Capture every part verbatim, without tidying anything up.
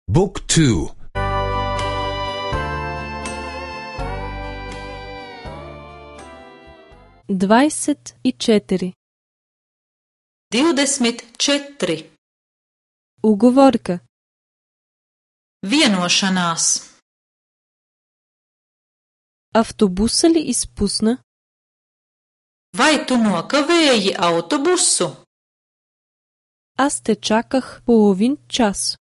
بوك تو dvadeset i četiri. Divdesmit četri. Ugovorka. Vienošanās. Автобуса ли изпусна? Vai tu nokavēji autobusu? Аз те чаках половин час.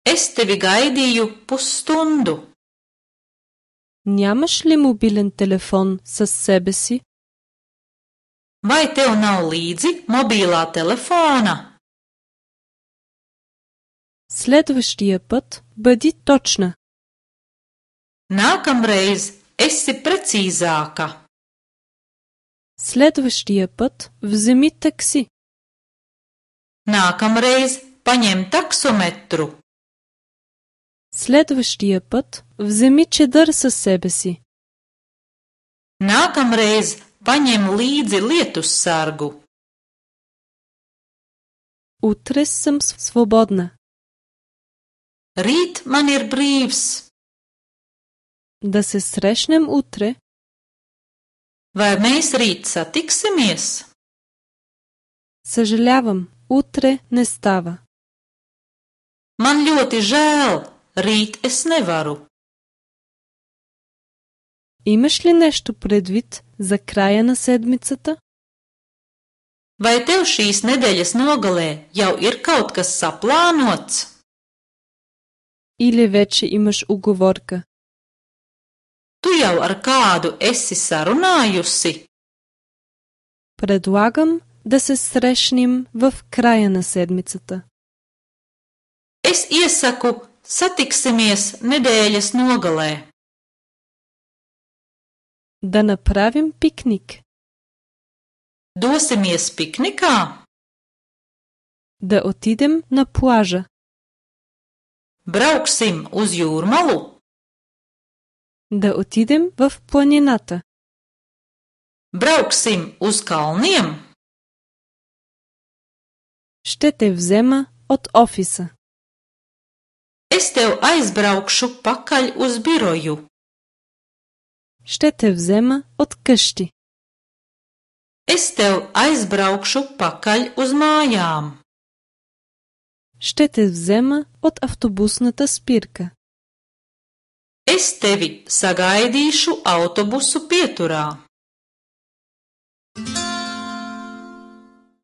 Es tevi gaidīju pusstundu. Нямаш ли мобилен телефон със себе си? Vai tev nav līdzi mobilā telefona? Следващия път бъди точна. Nākamreiz esi precīzāka. Следващия път вземи такси. Nākamreiz paņem taksometru. Следващия път вземи чедър със себе си. Nākamreiz paņem līdzi lietussargu. Утре съм свободна. Rīt man ir brīvs. Да се срещнем утре. Vai mēs rīt satiksimies? Съжалявам, утре не става. Man ļoti žēl, rīt es nevaru. Имаш ли нещо предвид за края на седмицата? Vai tev šīs nedēļas nogalē jau ir kaut kas saplānots? Или вече имаш уговорка? Tu jau ar kādu esi sarunājusi? Предлагам да се срещнем в края на седмицата. Es iesaku satiksimies nedēļas nogalē. Да направим пикник. Dosimies piknikā? Да отидем на плажа. Brauksim uz jūrmalu? Да отидем в планината. Brauksim uz kalniem? Ще те взема от офиса. Es tev aizbraukšu pakaļ uz biroju. Ще те взема от къщи. Es tev aizbraukšu pakaļ uz mājām. Ще те взема от автобусната спирка. Es tevi sagaidīšu autobusu pieturā.